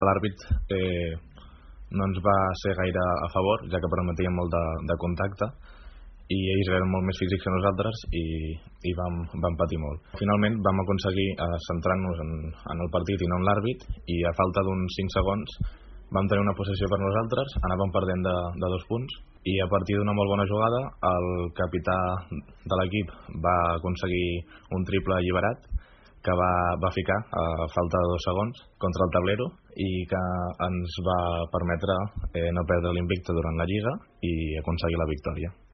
L'àrbit no ens va ser gaire a favor, ja que permetia molt de contacte, i ells eren molt més físics que nosaltres i vam patir molt. Finalment vam aconseguir centrar-nos en el partit i no en l'àrbit, i a falta d'uns 5 segons vam tenir una possessió per nosaltres, anàvem perdent de 2 punts, i a partir d'una molt bona jugada el capità de l'equip va aconseguir un triple alliberat que va ficar a falta de 2 segons contra el tablero i que ens va permetre no perdre l'invicte durant la Lliga i aconseguir la victòria.